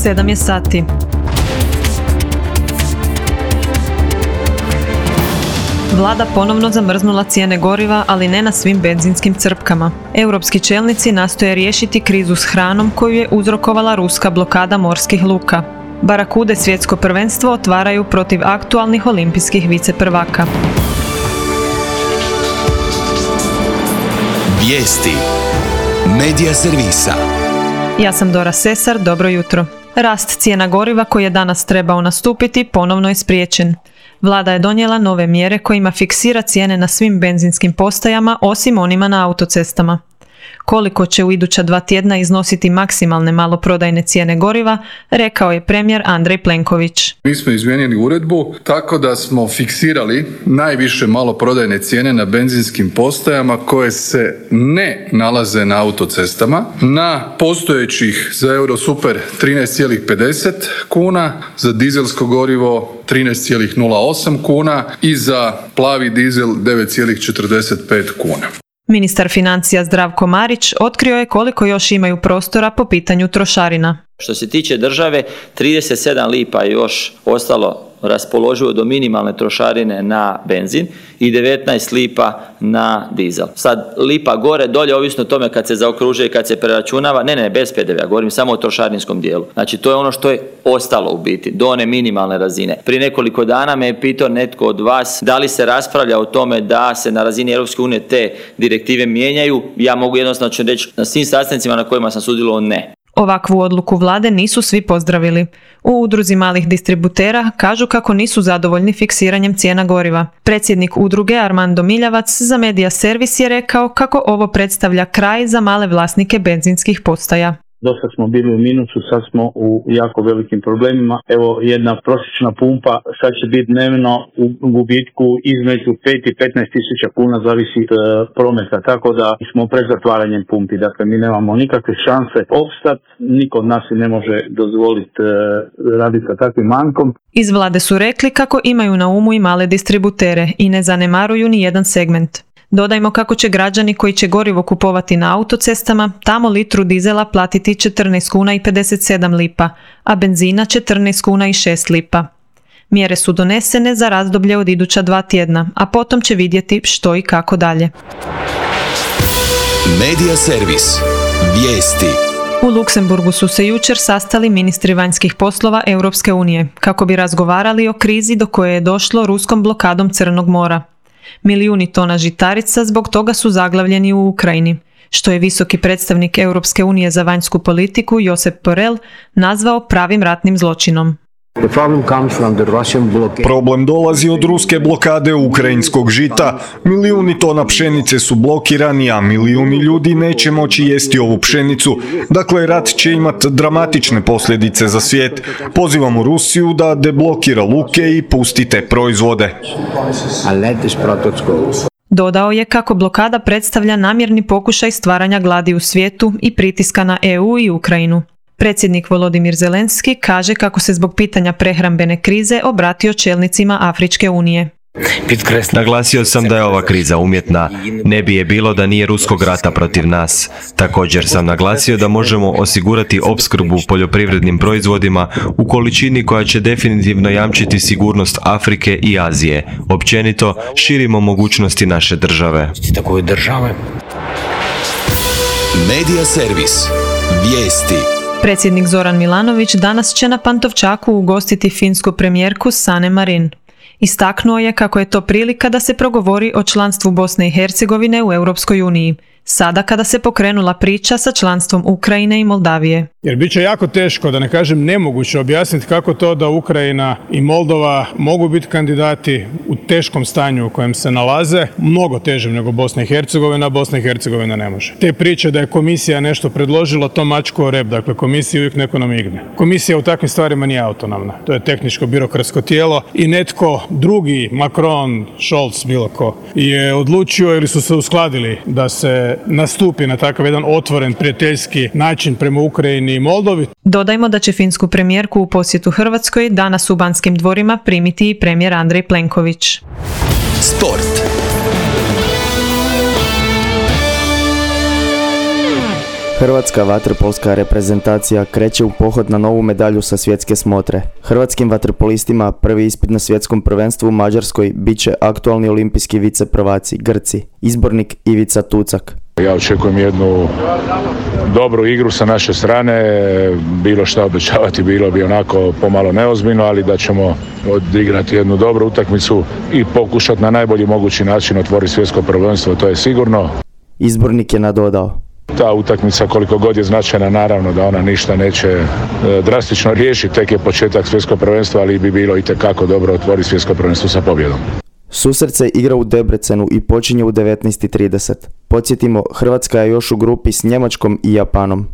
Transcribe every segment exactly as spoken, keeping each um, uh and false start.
sedam je sati. Vlada ponovno zamrznula cijene goriva, ali ne na svim benzinskim crpkama. Europski čelnici nastoje riješiti krizu s hranom koju je uzrokovala ruska blokada morskih luka. Barakude svjetsko prvenstvo otvaraju protiv aktualnih olimpijskih viceprvaka. Vijesti Medija servisa. Ja sam Dora Sesar, dobro jutro. Rast cijena goriva koji je danas trebao nastupiti ponovno je spriječen. Vlada je donijela nove mjere kojima fiksira cijene na svim benzinskim postajama osim onima na autocestama. Koliko će u iduća dva tjedna iznositi maksimalne maloprodajne cijene goriva, rekao je premijer Andrej Plenković. Mi smo izmijenili uredbu tako da smo fiksirali najviše maloprodajne cijene na benzinskim postajama koje se ne nalaze na autocestama. Na postojećih za Eurosuper trinaest zarez pedeset kuna, za dizelsko gorivo trinaest zarez nula osam kuna i za plavi dizel devet zarez četrdeset pet kuna. Ministar financija Zdravko Marić otkrio je koliko još imaju prostora po pitanju trošarina. Što se tiče države, trideset sedam lipa je još ostalo raspoloživo do minimalne trošarine na benzin i devetnaest lipa na dizel. Sad lipa gore, dolje, ovisno o tome kad se zaokružuje i kad se preračunava, ne, ne, bez pe de vea, govorim samo o trošarinskom dijelu. Znači to je ono što je ostalo u biti, do one minimalne razine. Prije nekoliko dana me je pitao netko od vas da li se raspravlja o tome da se na razini Europske unije te direktive mijenjaju. Ja mogu jednostavno reći na svim sastancima na kojima sam sudjelovao ne. Ovakvu odluku vlade nisu svi pozdravili. U udruzi malih distributera kažu kako nisu zadovoljni fiksiranjem cijena goriva. Predsjednik udruge Armando Miljavac za Medija servis je rekao kako ovo predstavlja kraj za male vlasnike benzinskih postaja. Dosta smo bili u minusu, sad smo u jako velikim problemima. Evo, jedna prosječna pumpa sad će biti dnevno u gubitku između pet i petnaest tisuća kuna, zavisi od prometa, tako da smo pred zatvaranjem pumpi. Dakle, mi nemamo nikakve šanse opstat, niko od nas si ne može dozvoliti uh, raditi sa takvim manjkom. Iz vlade su rekli kako imaju na umu i male distributere i ne zanemaruju ni jedan segment. Dodajmo kako će građani koji će gorivo kupovati na autocestama tamo litru dizela platiti četrnaest kuna i pedeset sedam lipa, a benzina četrnaest kuna i šest lipa. Mjere su donesene za razdoblje od iduća dva tjedna, a potom će vidjeti što i kako dalje. Medija servis. Vijesti. U Luksemburgu su se jučer sastali ministri vanjskih poslova Europske unije kako bi razgovarali o krizi do koje je došlo ruskom blokadom Crnog mora. Milijuni tona žitarica zbog toga su zaglavljeni u Ukrajini, što je visoki predstavnik Europske unije za vanjsku politiku Josep Borrell nazvao pravim ratnim zločinom. Problem dolazi od ruske blokade ukrajinskog žita. Milijuni tona pšenice su blokirani, a milijuni ljudi neće moći jesti ovu pšenicu. Dakle, rat će imati dramatične posljedice za svijet. Pozivamo Rusiju da deblokira luke i pusti te proizvode. Dodao je kako blokada predstavlja namjerni pokušaj stvaranja gladi u svijetu i pritiska na E U i Ukrajinu. Predsjednik Volodimir Zelenski kaže kako se zbog pitanja prehrambene krize obratio čelnicima Afričke unije. Naglasio sam da je ova kriza umjetna, ne bi je bilo da nije ruskog rata protiv nas. Također sam naglasio da možemo osigurati opskrbu poljoprivrednim proizvodima u količini koja će definitivno jamčiti sigurnost Afrike i Azije. Općenito, širimo mogućnosti naše države. Medija servis. Vijesti. Predsjednik Zoran Milanović danas će na Pantovčaku ugostiti finsku premijerku Sanne Marin. Istaknuo je kako je to prilika da se progovori o članstvu Bosne i Hercegovine u Europskoj uniji, sada kada se pokrenula priča sa članstvom Ukrajine i Moldavije. Jer bit će jako teško, da ne kažem nemoguće, objasniti kako to da Ukrajina i Moldova mogu biti kandidati u teškom stanju u kojem se nalaze, mnogo težem nego Bosna i Hercegovina, a Bosna i Hercegovina ne može. Te priče da je komisija nešto predložila, to mačku o rep, dakle komisija uvijek neko namigne. Komisija u takvim stvarima nije autonomna, to je tehničko-birokratsko tijelo i netko drugi, Macron, Scholz, bilo ko, je odlučio ili su se uskladili da se nastupi na takav jedan otvoren prijateljski način prema Ukrajini i Moldovi. Dodajmo da će finsku premijerku u posjetu Hrvatskoj danas u Banskim dvorima primiti i premijer Andrej Plenković. Sport. Hrvatska vaterpolska reprezentacija kreće u pohod na novu medalju sa svjetske smotre. Hrvatskim vaterpolistima prvi ispit na svjetskom prvenstvu u Mađarskoj bit će aktualni olimpijski viceprvaci Grci, izbornik Ivica Tucak. Ja očekujem jednu dobru igru sa naše strane, bilo šta obećavati bilo bi onako pomalo neozbiljno, ali da ćemo odigrati jednu dobru utakmicu i pokušati na najbolji mogući način otvoriti svjetsko prvenstvo, to je sigurno. Izbornik je nadodao. Ta utakmica koliko god je značajna, naravno da ona ništa neće e, drastično riješiti, tek je početak svjetskog prvenstva, ali bi bilo itekako dobro otvoriti svjetsko prvenstvo sa pobjedom. Susret se igra u Debrecenu i počinje u devetnaest i trideset. Podsjetimo, Hrvatska je još u grupi s Njemačkom i Japanom.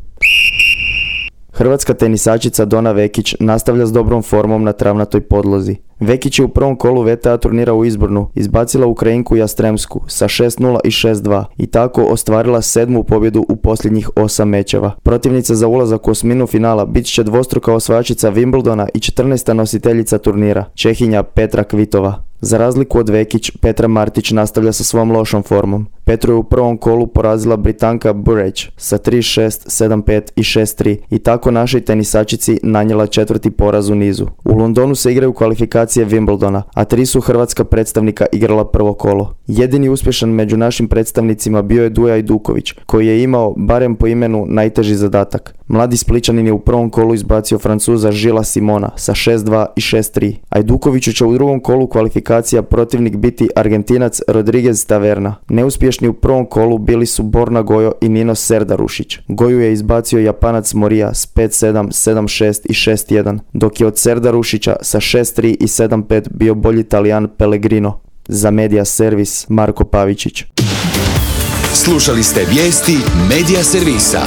Hrvatska tenisačica Dona Vekić nastavlja s dobrom formom na travnatoj podlozi. Vekić je u prvom kolu V T A turnira u Izbornu izbacila Ukrajinku Jastremsku sa šest nula i šest dva i tako ostvarila sedmu pobjedu u posljednjih osam mečeva. Protivnica za ulazak u osminu finala bit će dvostruka osvajačica Wimbledona i četrnaesta nositeljica turnira, Čehinja Petra Kvitova. Za razliku od Vekić, Petra Martić nastavlja sa svom lošom formom. Petru je u prvom kolu porazila Britanka Burrage sa tri šest, sedam pet i šest tri i tako našoj tenisačici nanijela četvrti poraz u nizu. U Londonu se igraju kvalifikacije Wimbledona, a tri su hrvatska predstavnika igrala prvo kolo. Jedini uspješan među našim predstavnicima bio je Duja Ajduković, koji je imao, barem po imenu, najteži zadatak. Mladi Spličanin je u prvom kolu izbacio Francuza Žila Simona sa šest dva i šest tri. Ajdukoviću će u drugom kolu kvalifikacija protivnik biti Argentinac Rodriguez Taverna. Neuspješni u prvom kolu bili su Borna Gojo i Nino Serdarušić. Goju je izbacio Japanac Morija s pet sedam, sedam šest i šest jedan, dok je od Serdarušića sa šest tri i sedam pet bio bolji Talijan Pellegrino. Za Media Servis Marko Pavičić. Slušali ste vijesti Media Servisa.